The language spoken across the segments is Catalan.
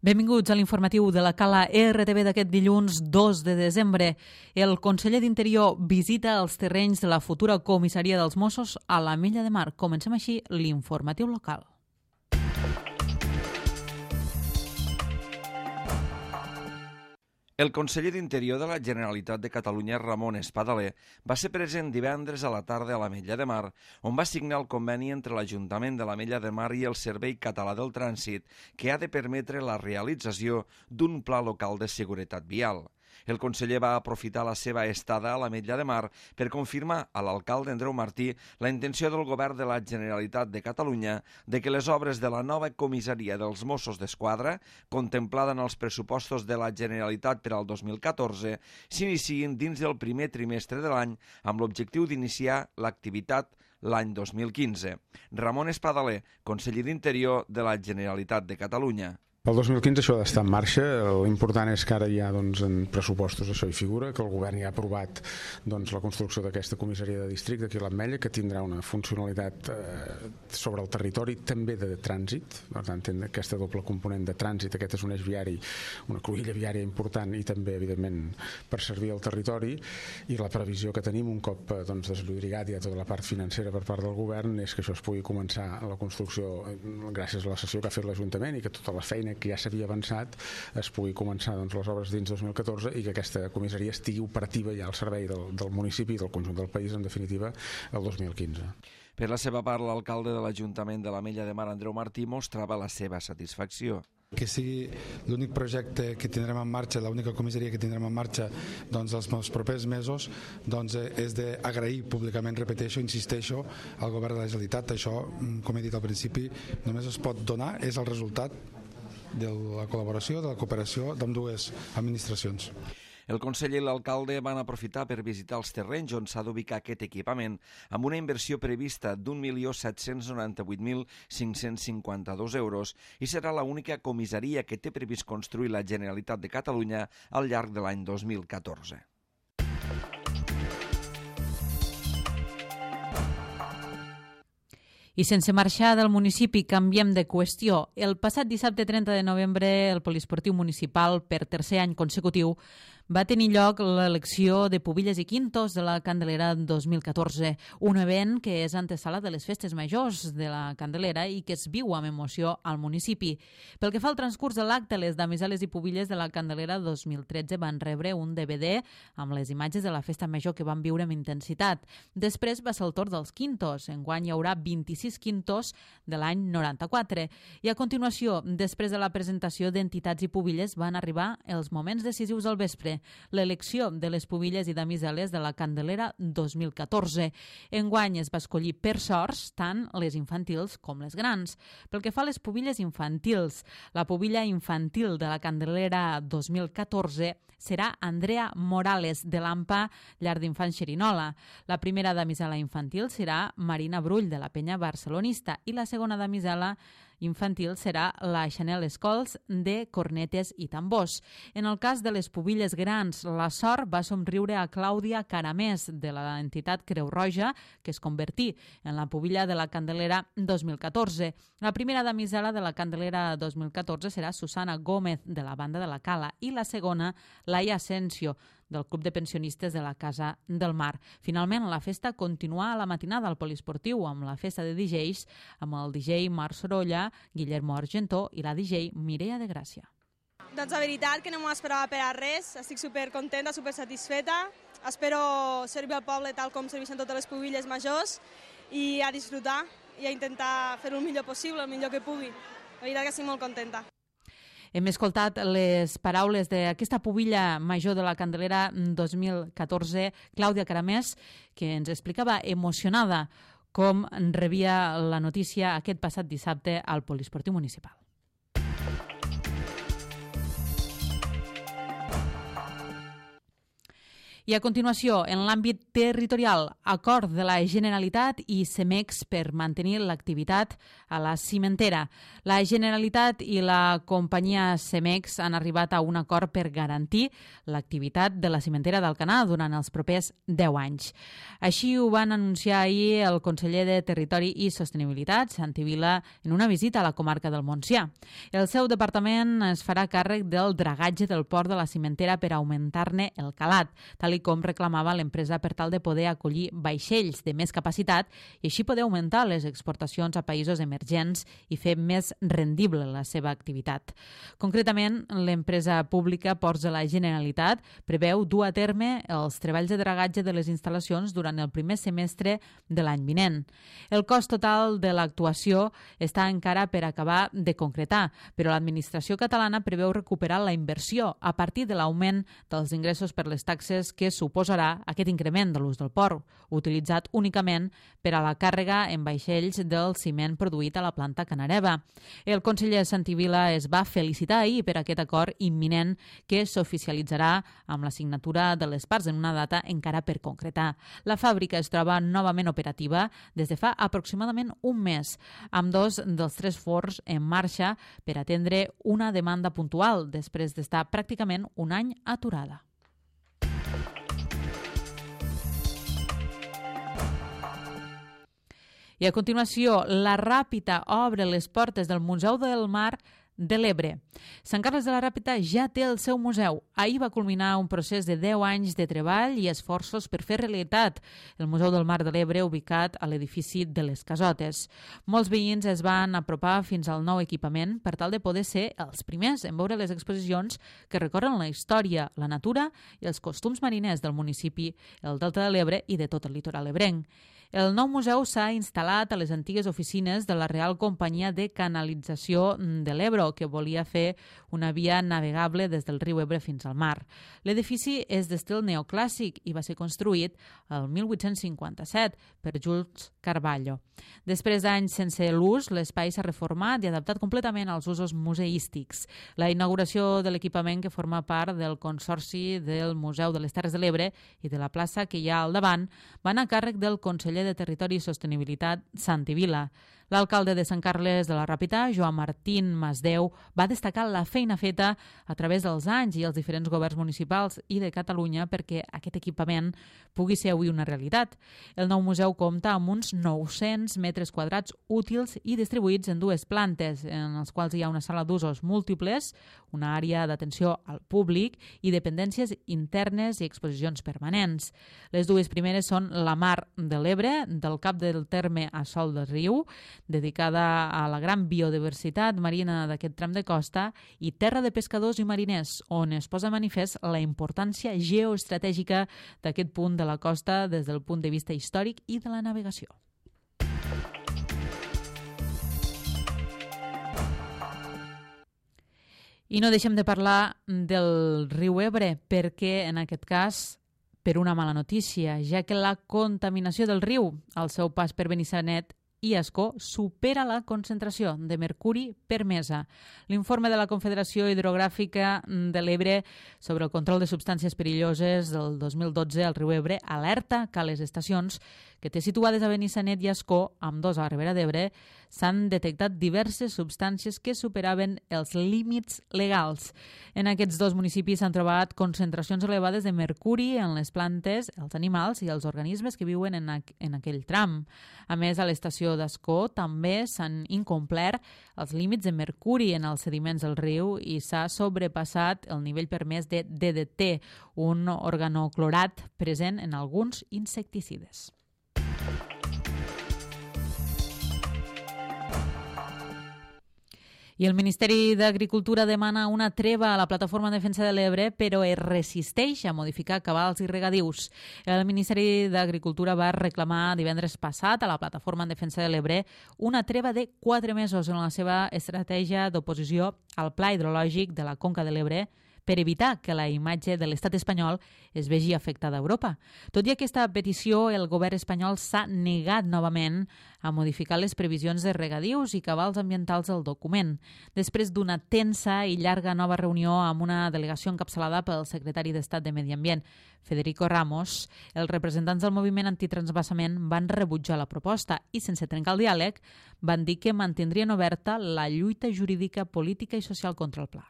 Benvinguts a l'informatiu de la Cala RTV d'aquest dilluns 2 de desembre. El conseller d'Interior visita els terrenys de la futura comissaria dels Mossos a l'Ametlla de Mar. Comencem així l'informatiu local. El conseller d'Interior de la Generalitat de Catalunya, Ramon Espadaler, va ser present divendres a la tarda a l'Ametlla de Mar, on va signar el conveni entre l'Ajuntament de l'Ametlla de Mar i el Servei Català del Trànsit, que ha de permetre la realització d'un pla local de seguretat vial. El conseller va aprofitar la seva estada a l'Ametlla de Mar per confirmar a l'alcalde Andreu Martí la intenció del govern de la Generalitat de Catalunya de que les obres de la nova comissaria dels Mossos d'Esquadra, contemplada en els pressupostos de la Generalitat per al 2014, s'iniciïn dins del primer trimestre de l'any amb l'objectiu d'iniciar l'activitat l'any 2015. Ramon Espadaler, conseller d'Interior de la Generalitat de Catalunya. El 2015 això ha d'estar en marxa. L'important és que ara ja en pressupostos això hi figura, que el govern ja ha aprovat la construcció d'aquesta comissaria de districte aquí a l'Ametlla, que tindrà una funcionalitat sobre el territori, també de trànsit. Per tant, té aquesta doble component de trànsit. Aquest és un eix viari, una cruïlla viària important i també, evidentment, per servir al territori. I la previsió que tenim, un cop desllobrigat ja tota la part financera per part del govern, és que això es pugui començar la construcció gràcies a la sessió que ha fet l'Ajuntament i que tota la feina que ja s'havia avançat es pugui començar les obres dins 2014 i que aquesta comissaria estigui operativa ja al servei del municipi i del conjunt del país, en definitiva, el 2015. Per la seva part, l'alcalde de l'Ajuntament de l'Ametlla de Mar, Andreu Martí, mostrava la seva satisfacció. Que sigui l'únic projecte que tindrem en marxa, l'única comissaria que tindrem en marxa els propers mesos, és d'agrair públicament, repeteixo, insisteixo, al govern de la Generalitat. Això, com he dit al principi, només es pot donar, és el resultat de la col·laboració, de la cooperació d'ambdues administracions. El conseller i l'alcalde van aprofitar per visitar els terrenys on s'ha d'ubicar aquest equipament amb una inversió prevista d'1.798.552 euros i serà l'única comissaria que té previst construir la Generalitat de Catalunya al llarg de l'any 2014. I sense marxar del municipi, canviem de qüestió. El passat dissabte 30 de novembre, el Poliesportiu Municipal, per tercer any consecutiu, va tenir lloc l'elecció de Pubilles i Quintos de la Candelera 2014, un event que és antesala de les festes majors de la Candelera i que es viu amb emoció al municipi. Pel que fa al transcurs de l'acte, les damiseles i pubilles de la Candelera 2013 van rebre un DVD amb les imatges de la festa major que van viure amb intensitat. Després va ser el torn dels Quintos. Enguany hi haurà 26 Quintos de l'any 94. I a continuació, després de la presentació d'entitats i pubilles, van arribar els moments decisius del vespre, l'elecció de les pubilles i damiseles de la Candelera 2014. Enguany es va escollir per sorts tant les infantils com les grans. Pel que fa a les pubilles infantils, la pubilla infantil de la Candelera 2014 serà Andrea Morales, de l'AMPA Llar d'Infants Xerinola. La primera damisela infantil serà Marina Brull, de la Penya Barcelonista, i la segona damisela infantil serà la Chanel Escols, de Cornetes i Tambors. En el cas de les pubilles grans, la sort va somriure a Clàudia Caramés, de l'entitat Creu Roja, que es convertí en la pubilla de la Candelera 2014. La primera damisela de la Candelera 2014 serà Susana Gómez, de la Banda de la Cala, i la segona, Laia Asensio, del Club de Pensionistes de la Casa del Mar. Finalment, la festa continuà a la matinada al Poliesportiu amb la festa de DJs amb el DJ Marc Sorolla, Guillermo Argentó i la DJ Mireia de Gràcia. Doncs la veritat que no m'ho esperava per a res, estic supercontenta, supersatisfeta, espero servir al poble tal com serveixen totes les pubilles majors i a disfrutar i a intentar fer-ho el millor possible, el millor que pugui. La veritat que estic molt contenta. Hem escoltat les paraules d'aquesta pubilla major de la Candelera 2014, Clàudia Caramés, que ens explicava emocionada com rebia la notícia aquest passat dissabte al Poliesportiu Municipal. I a continuació, en l'àmbit territorial, acord de la Generalitat i Cemex per mantenir l'activitat a la cimentera. La Generalitat i la companyia Cemex han arribat a un acord per garantir l'activitat de la cimentera d'Alcanar durant els propers 10 anys. Així ho van anunciar ahir el conseller de Territori i Sostenibilitat, Santi Vila, en una visita a la comarca del Montsià. El seu departament es farà càrrec del dragatge del port de la cimentera per augmentar-ne el calat, tal com reclamava l'empresa per tal de poder acollir vaixells de més capacitat i així poder augmentar les exportacions a països emergents i fer més rendible la seva activitat. Concretament, l'empresa pública Ports de la Generalitat preveu dur a terme els treballs de dragatge de les instal·lacions durant el primer semestre de l'any vinent. El cost total de l'actuació està encara per acabar de concretar, però l'administració catalana preveu recuperar la inversió a partir de l'augment dels ingressos per les taxes que suposarà aquest increment de l'ús del port, utilitzat únicament per a la càrrega en vaixells del ciment produït a la planta Canareva. El conseller Santi Vila es va felicitar ahir per aquest acord imminent que s'oficialitzarà amb la signatura de les parts en una data encara per concretar. La fàbrica es troba novament operativa des de fa aproximadament un mes, amb 2 dels 3 forns en marxa per atendre una demanda puntual després d'estar pràcticament un any aturada. I a continuació, la Ràpita obre les portes del Museu del Mar de l'Ebre. Sant Carles de la Ràpita ja té el seu museu. Ahir va culminar un procés de 10 anys de treball i esforços per fer realitat el Museu del Mar de l'Ebre ubicat a l'edifici de les Casotes. Molts veïns es van apropar fins al nou equipament per tal de poder ser els primers en veure les exposicions que recorren la història, la natura i els costums mariners del municipi, el Delta de l'Ebre i de tot el litoral ebrenc. El nou museu s'ha instal·lat a les antigues oficines de la Real Companyia de Canalització de l'Ebre, que volia fer una via navegable des del riu Ebre fins al mar. L'edifici és d'estil neoclàssic i va ser construït el 1857 per Jules Carvalho. Després d'anys sense l'ús, l'espai s'ha reformat i adaptat completament als usos museístics. La inauguració de l'equipament, que forma part del Consorci del Museu de les Terres de l'Ebre i de la plaça que hi ha al davant, va anar a càrrec del conseller de Territori i Sostenibilitat, Santi Vila. L'alcalde de Sant Carles de la Ràpita, Joan Martín Masdeu, va destacar la feina feta a través dels anys i els diferents governs municipals i de Catalunya perquè aquest equipament pugui ser avui una realitat. El nou museu compta amb uns 900 metres quadrats útils i distribuïts en 2 plantes, en els quals hi ha una sala d'usos múltiples, una àrea d'atenció al públic i dependències internes i exposicions permanents. Les 2 primeres són la Mar de l'Ebre, del cap del terme a Sol del Riu, dedicada a la gran biodiversitat marina d'aquest tram de costa, i Terra de Pescadors i Mariners, on es posa manifest la importància geoestratègica d'aquest punt de la costa des del punt de vista històric i de la navegació. I no deixem de parlar del riu Ebre, perquè en aquest cas per una mala notícia, ja que la contaminació del riu al seu pas per Benissanet i Ascó supera la concentració de mercuri permesa. L'informe de la Confederació Hidrogràfica de l'Ebre sobre el control de substàncies perilloses del 2012 al riu Ebre alerta que a les estacions que té situades a Benissanet i Ascó, ambdós a la Ribera d'Ebre, s'han detectat diverses substàncies que superaven els límits legals. En aquests 2 municipis s'han trobat concentracions elevades de mercuri en les plantes, els animals i els organismes que viuen en aquell tram. A més, a l'estació d'Ascó també s'han incomplert els límits de mercuri en els sediments del riu i s'ha sobrepassat el nivell permès de DDT, un organoclorat present en alguns insecticides. I el Ministeri d'Agricultura demana una treva a la Plataforma en Defensa de l'Ebre, però es resisteix a modificar cabals i regadius. El Ministeri d'Agricultura va reclamar divendres passat a la Plataforma en Defensa de l'Ebre una treva de 4 mesos en la seva estratègia d'oposició al Pla Hidrològic de la Conca de l'Ebre per evitar que la imatge de l'estat espanyol es vegi afectada a Europa. Tot i aquesta petició, el govern espanyol s'ha negat novament a modificar les previsions de regadius i cabals ambientals del document. Després d'una tensa i llarga nova reunió amb una delegació encapçalada pel secretari d'Estat de Medi Ambient, Federico Ramos, els representants del moviment antitransvasament van rebutjar la proposta i, sense trencar el diàleg, van dir que mantindrien oberta la lluita jurídica, política i social contra el pla.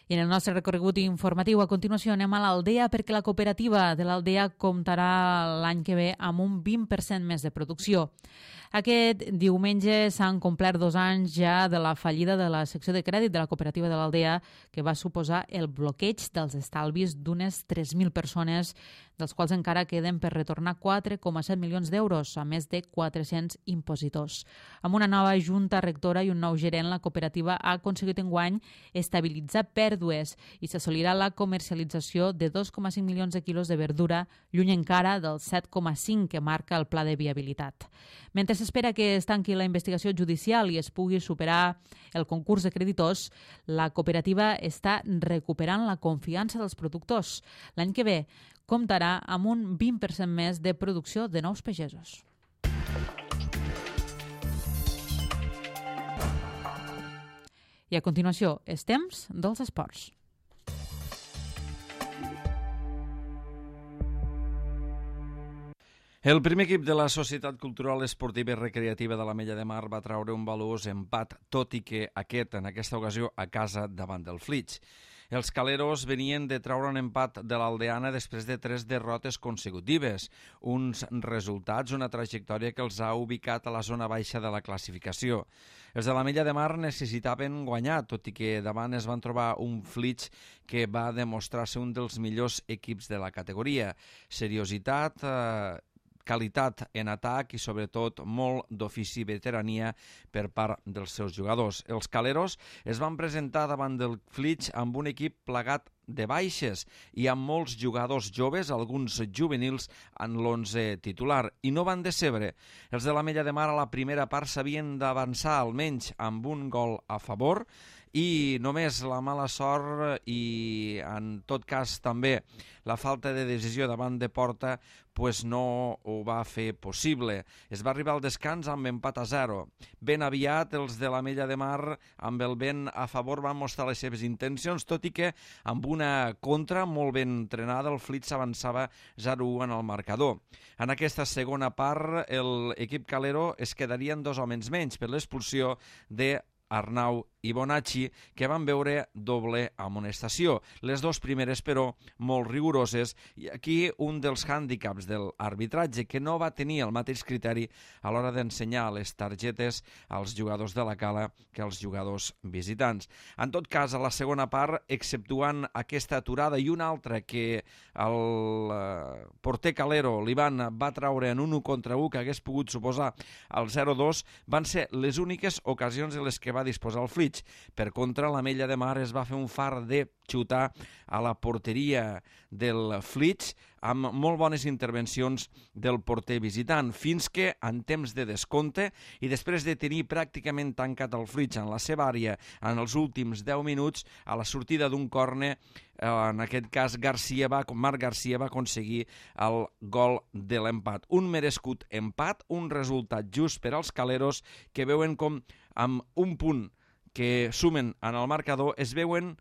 I en el nostre recorregut informatiu, a continuació, anem a l'Aldea perquè la cooperativa de l'Aldea comptarà l'any que ve amb un 20% més de producció. Aquest diumenge s'han complert 2 anys ja de la fallida de la secció de crèdit de la cooperativa de l'Aldea, que va suposar el bloqueig dels estalvis d'unes 3.000 persones, dels quals encara queden per retornar 4,7 milions d'euros, a més de 400 impositors. Amb una nova junta rectora i un nou gerent, la cooperativa ha aconseguit enguany estabilitzar pèrdues i s'assolirà la comercialització de 2,5 milions de quilos de verdura, lluny encara del 7,5 que marca el pla de viabilitat. Mentre s'espera que es tanqui la investigació judicial i es pugui superar el concurs de creditors, la cooperativa està recuperant la confiança dels productors. L'any que ve comptarà amb un 20% més de producció de nous pagesos. I a continuació, és temps dels esports. El primer equip de la Societat Cultural Esportiva i Recreativa de l'Ametlla de Mar va traure un valuós empat, tot i que en aquesta ocasió, a casa davant del Flix. Els caleros venien de traure un empat de l'Aldeana després de 3 derrotes consecutives, uns resultats, una trajectòria que els ha ubicat a la zona baixa de la classificació. Els de l'Ametlla de Mar necessitaven guanyar, tot i que davant es van trobar un Flix que va demostrar ser un dels millors equips de la categoria. Seriositat, qualitat en atac i, sobretot, molt d'ofici i veterania per part dels seus jugadors. Els caleros es van presentar davant del Flix amb un equip plagat de baixes i amb molts jugadors joves, alguns juvenils, en l'11 titular, i no van decebre. Els de l'Ametlla de Mar a la primera part s'havien d'avançar almenys amb un gol a favor i només la mala sort i, en tot cas, també la falta de decisió davant de porta no ho va fer possible. Es va arribar al descans amb empat a 0. Ben aviat, els de l'Ametlla de Mar, amb el vent a favor, van mostrar les seves intencions, tot i que amb una contra molt ben entrenada el Flix avançava 0-1 en el marcador. En aquesta segona part, l'equip calero es quedarien 2 homes menys per l'expulsió de Arnau i Bonacci, que van veure doble amonestació. Les 2 primeres, però, molt rigoroses, i aquí un dels hàndicaps de l'arbitratge, que no va tenir el mateix criteri a l'hora d'ensenyar les targetes als jugadors de la Cala que als jugadors visitants. En tot cas, a la segona part, exceptuant aquesta aturada i una altra que el porter calero, l'Ivan, va traure en un 1 contra 1 que hagués pogut suposar el 0-2, van ser les úniques ocasions en les que va disposar el Flix. Per contra, l'Ametlla de Mar es va fer un far de xutar a la porteria del Flix amb molt bones intervencions del porter visitant, fins que en temps de descompte i després de tenir pràcticament tancat el Flix en la seva àrea en els últims 10 minuts, a la sortida d'un córner, en aquest cas Marc Garcia va aconseguir el gol de l'empat. Un merescut empat, un resultat just per als caleros que veuen com amb un punt que sumen en el marcador es veuen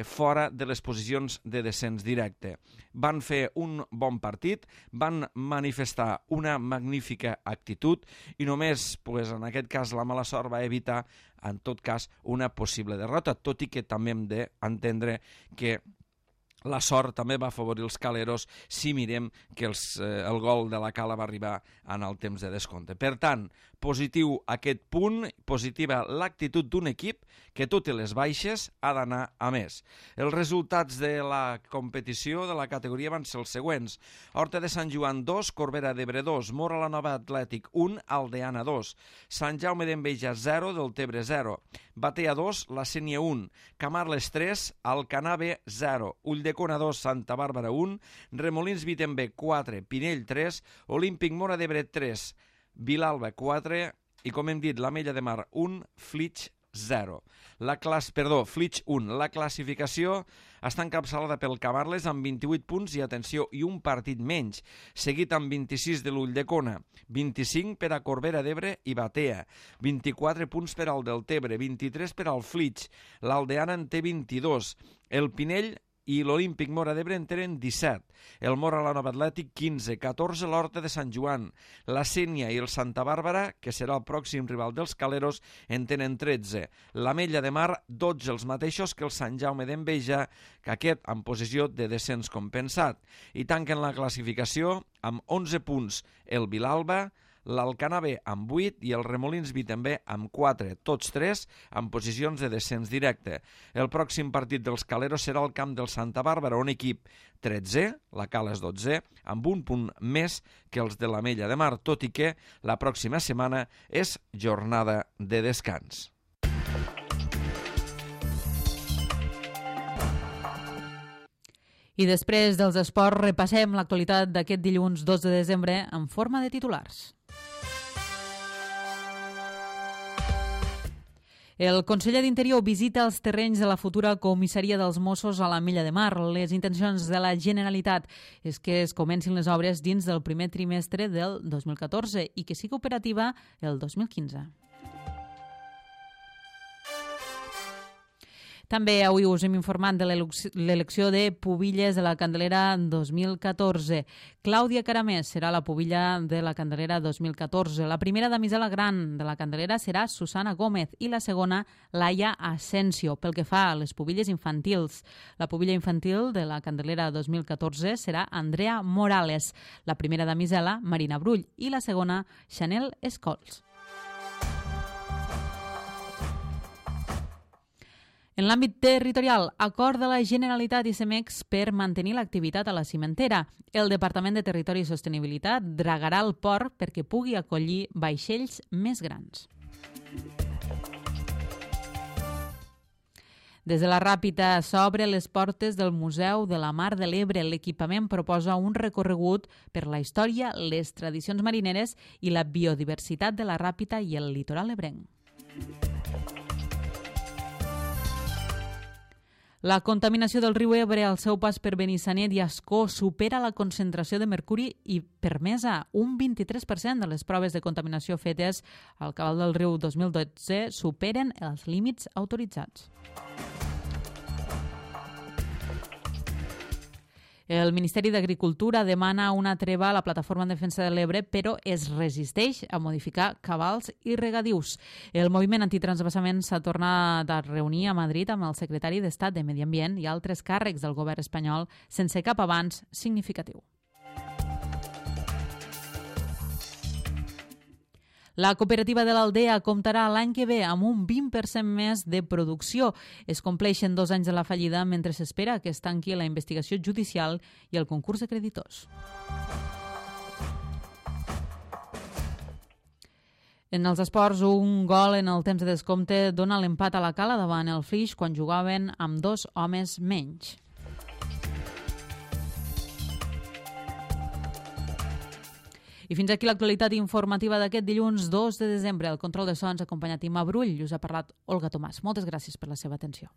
fora de les posicions de descens directe. Van fer un bon partit, van manifestar una magnífica actitud i només, en aquest cas, la mala sort va evitar, en tot cas, una possible derrota, tot i que també hem d'entendre que la sort també va afavorir els caleros si mirem que el gol de la Cala va arribar en el temps de descompte. Per tant, positiu aquest punt, positiva l'actitud d'un equip que tot i les baixes ha d'anar a més. Els resultats de la competició de la categoria van ser els següents: Horta de Sant Joan 2, Corbera d'Ebre 2, Móra la Nova Atlètic 1, Aldeana 2, Sant Jaume d'Enveja 0, Deltebre 0, Batea 2, La Sénia 1, Camarles 3, Alcanar B 0, Ulldecona 2, Santa Bàrbara 1, Remolins Vitember 4, Pinell 3, Olímpic Móra d'Ebre 3, Vilalba 4 i, com hem dit, l'Ametlla de Mar 1, Flix 0. Flix 1. La classificació està encapçalada pel Camarles amb 28 punts i, atenció, i un partit menys, seguit amb 26 de l'Ulldecona, 25 per a Corbera d'Ebre i Batea, 24 punts per al Deltebre, 23 per al Flix, l'Aldeana en té 22, el Pinell i l'Olímpic Móra d'Ebre en tenen 17, el Móra la Nova Atlètic 15, 14 l'Horta de Sant Joan, la Sénia i el Santa Bàrbara, que serà el pròxim rival dels Caleros, en tenen 13, l'Ametlla de Mar 12, els mateixos que el Sant Jaume d'Enveja, que aquest en posició de descens compensat, i tanquen la classificació amb 11 punts el Vilalba, l'Alcanar B amb 8 i el Remolins B també amb 4, tots 3 en posicions de descens directe. El pròxim partit dels Caleros serà al camp del Santa Bàrbara, un equip 13, la Cala és 12, amb un punt més que els de l'Ametlla de Mar, tot i que la pròxima setmana és jornada de descans. I després dels esports repassem l'actualitat d'aquest dilluns 2 de desembre en forma de titulars. El conseller d'Interior visita els terrenys de la futura comissaria dels Mossos a l'Ametlla de Mar. Les intencions de la Generalitat és que es comencin les obres dins del primer trimestre del 2014 i que sigui operativa el 2015. També avui us hem informat de l'elecció de pubilles de la Candelera 2014. Clàudia Caramés serà la pubilla de la Candelera 2014. La primera damisela gran de la Candelera serà Susana Gómez i la segona Laia Asensio. Pel que fa a les pubilles infantils, la pubilla infantil de la Candelera 2014 serà Andrea Morales, la primera damisela Marina Brull i la segona Chanel Escols. En l'àmbit territorial, acord de la Generalitat i Cemex per mantenir l'activitat a la cimentera. El Departament de Territori i Sostenibilitat dragarà el port perquè pugui acollir vaixells més grans. Des de la Ràpita s'obre les portes del Museu de la Mar de l'Ebre. L'equipament proposa un recorregut per la història, les tradicions marineres i la biodiversitat de la Ràpita i el litoral ebrenc. La contaminació del riu Ebre al seu pas per Benissanet i Ascó supera la concentració de mercuri i permesa. Un 23% de les proves de contaminació fetes al cabal del riu 2012 superen els límits autoritzats. El Ministeri d'Agricultura demana una treva a la Plataforma en Defensa de l'Ebre, però es resisteix a modificar cabals i regadius. El moviment antitransvasament s'ha tornat a reunir a Madrid amb el secretari d'Estat de Medi Ambient i altres càrrecs del govern espanyol sense cap avanç significatiu. La cooperativa de l'Aldea comptarà l'any que ve amb un 20% més de producció. Es compleixen 2 anys de la fallida mentre s'espera que es tanqui la investigació judicial i el concurs de creditors. En els esports, un gol en el temps de descompte dona l'empat a la Cala davant el Flix quan jugaven amb 2 homes menys. I fins aquí l'actualitat informativa d'aquest dilluns 2 de desembre. El control de sons acompanyat Imma Brull i us ha parlat Olga Tomàs. Moltes gràcies per la seva atenció.